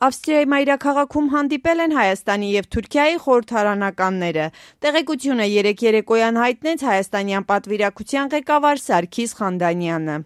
Ավստրիայի մայրաքաղաքում հանդիպել են Հայաստանի և Թուրքիայի խորհրդարանականները։ Տեղեկությունը երեկ երեկոյան հայտնեց հայաստանյան պատվիրակության ղեկավար Սարգիս Խանդանյանը։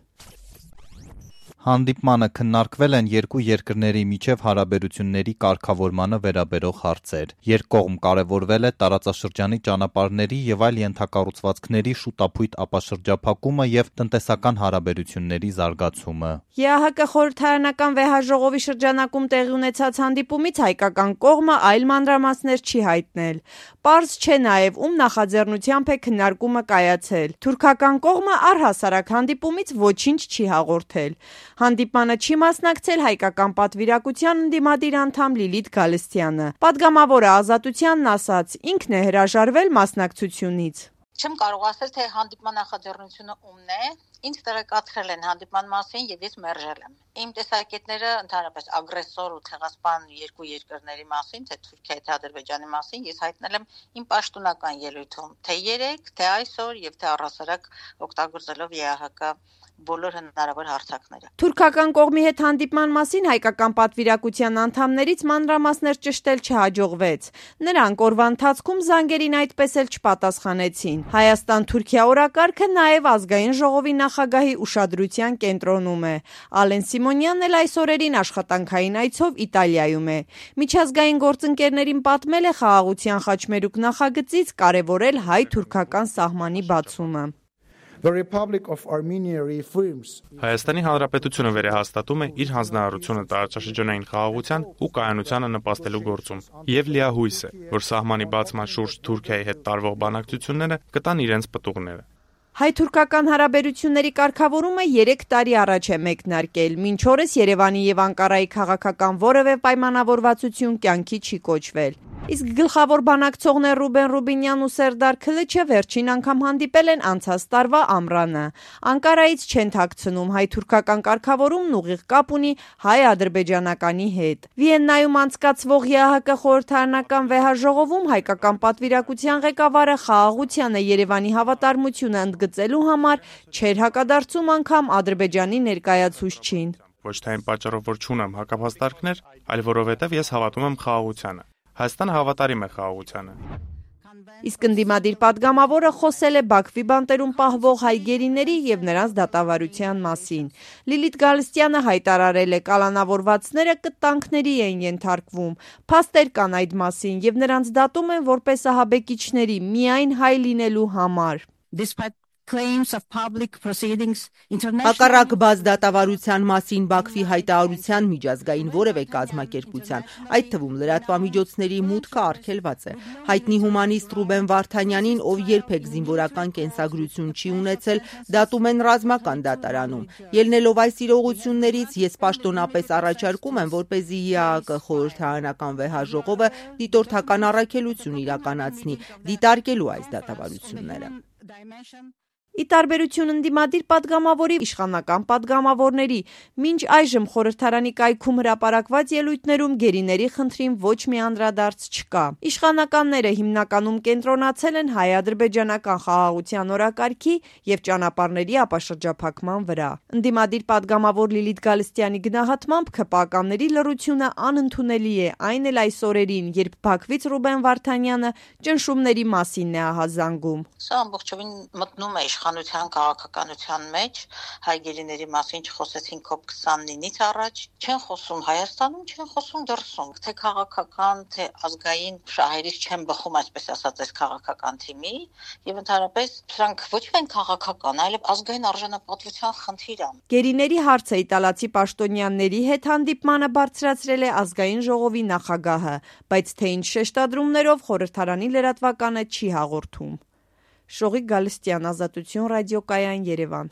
Հանդիպմանը քննարկվել են երկու երկրների միջև հարաբերությունների կարգավորմանը վերաբերող հարցեր։ Երկկողմ կարևորվել է տարածաշրջանի ճանապարհների և այլ ենթակառուցվածքների շուտափույթ ապաշրջափակումը և տնտեսական հարաբերությունների զարգացումը։ ԵԱՀԿ խորհրդարանական վեհաժողովի շրջանակում տեղի ունեցած հանդիպումից հայկական կողմը այլ մանրամասներ չի հայտնել։ Պարզ չէ նաև ում նախաձեռնությամբ է քննարկումը կայացել։ Թուրքական կողմը առհասարակ հանդիպումից ոչինչ չի հաղորդել։ Հանդիպմանը չի մասնակցել հայկական պատվիրակության ընդդիմադիր անդամ Լիլիթ Գալստյանը։ Պատգամավորը Ազատությանն ասաց, ինքն է հրաժարվել մասնակցությունից։ Չեմ կարող ասել, թե հանդիպման նախաձեռնությունը ումն է, ինձ տեղեկացրել են հանդիպման մասին եւ ես մերժել եմ։ Իմ տեսակետները ընդհանրապես ագրեսոր ու ցեղասպան երկու երկրների մասին, թե Թուրքիայի, թե Ադրբեջանի մասին, ես հայտնել եմ իմ պաշտոնական ելույթում, թե երեք, թե այսօր եւ թե առհասարակ օգտագործելով ԵԱՀԿ բոլոր հնարավոր հարթակները։ Թուրքական կողմի հետ հանդիպման մասին հայկական պատվիրակության անդամներից մանրամասներ ճշտել չհաջողվեց։ Նրանք օրվա ընթացքում զանգերին այդպես էլ չպատասխանեցին։ Հայաստան-Թուրքիա օրակարգը նաև ազգային ժողովի նախագահի ուշադրության կենտրոնում է։ Ալեն Սիմոնյանն էլ այս օրերին աշխատանքային այցով Իտալիայում է։ Միջազգային գործընկերներին պատմել է խաղաղության խաչմերուկ նախագծից կարևորել հայ-թուրքական սահմանի բացումը։ Հայաստանի Հանրապետությունը վերահաստատում է իր հանձնարարությունը տարածաշրջանային խաղաղության ու կայունությանը նպաստելու գործում եւ լիահույս է, որ սահմանի բացման շուրջ Թուրքիայի հետ տարվող բանակցությունները կտան իրենց պտուղները։ Հայ-թուրքական հարաբերությունների կարգավորումը 3 տարի առաջ է մեկնարկել։ Մինչ օրս Երևանի եւ Անկարայի քաղաքական որևէ պայմանավորվածություն կյանքի չի կոչվել։ Իսկ գլխավոր բանակցողներ Ռուբեն Ռուբինյանն ու Սերդար Քլիչը վերջին անգամ հանդիպել են անցած տարվա ամռանը։ Անկարայից չեն թաքցնում հայ-թուրքական կարգավորումն ուղիղ կապ ունի հայ-ադրբեջանականի հետ։ Վիեննայում անցկացվող ԵԱՀԿ խորհրդարանական վեհաժողովում հայկական պատվիրակության ղեկավարը խաղաղությանը Երևանի հավատարմությունը ընդգծելու համար չէր հակադարձում անգամ Ադրբեջանի ներկայացուցչին։ Ոչ թե այն պատճառով, որ չունեմ հակապաստարկներ, այլ որովհետև ես հավատում եմ խաղաղությանը։ Հայաստանը հավատարիմ է խաղաղությանը։ Իսկ ընդդիմադիր պատգամավորը խոսել է Բաքվի բանտերում պահվող հայ գերիների եւ նրանց դատավարության մասին։ Լիլիթ Գալստյանը հայտարարել է, կալանավորվածները կտանքների են ենթարկվում։ Փաստեր կան այդ մասին եւ նրանց դատում են որպես ահաբեկիչների միայն հայ լինելու համար։ Հակառակ բաց դատավարության մասին Բաքվի հայտարարության միջազգային որևէ կազմակերպության, այդ թվում լրատվամիջոցների մուտքը արգելված է։ Հայտնի հումանիստ Ռուբեն Վարդանյանին, ով երբեք զինվորական կենսագրություն չի ունեցել, դատում են ռազմական դատարանում։ Ելնելով այս իրողություններից, ես պաշտոնապես առաջարկում եմ, որպեսզի ԵԱՀԿ խորհրդարանական վեհաժողովը դիտորդական առաքելություն իրականացնի, դիտարկելու այս դատավարությունները։ Ի տարբերություն ընդդիմադիր պատգամավորի իշխանական պատգամավորների, մինչ այժմ խորհրդարանի կայքում հրապարակված ելույթներում գերիների խնդրին ոչ մի անդրադարձ չկա։ Իշխանականները հիմնականում կենտրոնացել են հայ-ադրբեջանական խաղաղության օրակարգի եւ ճանապարհների ապաշրջափակման վրա։ Ընդդիմադիր պատգամավոր Լիլիթ Գալստյանի գնահատմամբ ՔՊԱ-ների լռությունը անընդունելի է, այն էլ այս օրերին, երբ Բաքվից Ռուբեն Վարդանյանը ճնշումների մասին է ահազանգում։ Սա ամբողջովին մտնում է իշխանության քաղաքականության մեջ, հայ գերիների մասին չխոսեցին COP29-ից առաջ, չեն խոսում Հայաստանում, չեն խոսում դրսում, թե քաղաքական, թե ազգային շահերից չեն բխում, այսպես ասած, այս քաղաքական թիմի, եւ ընդհանրապես սրանք ոչ միայն քաղաքական, այլև ազգային արժանապատվության խնդիր է։ Գերիների հարցը իտալացի պաշտոնյաների հետ հանդիպմանը բարձրացրել է ազգային ժողովի նախագահը, բայց թե ինչ շեշտադրումներով խորհրդարանի լրատվականը չի հաղորդում։ Շողիկ Գալստյան, Ազատություն ռադիոկայան, Երևան։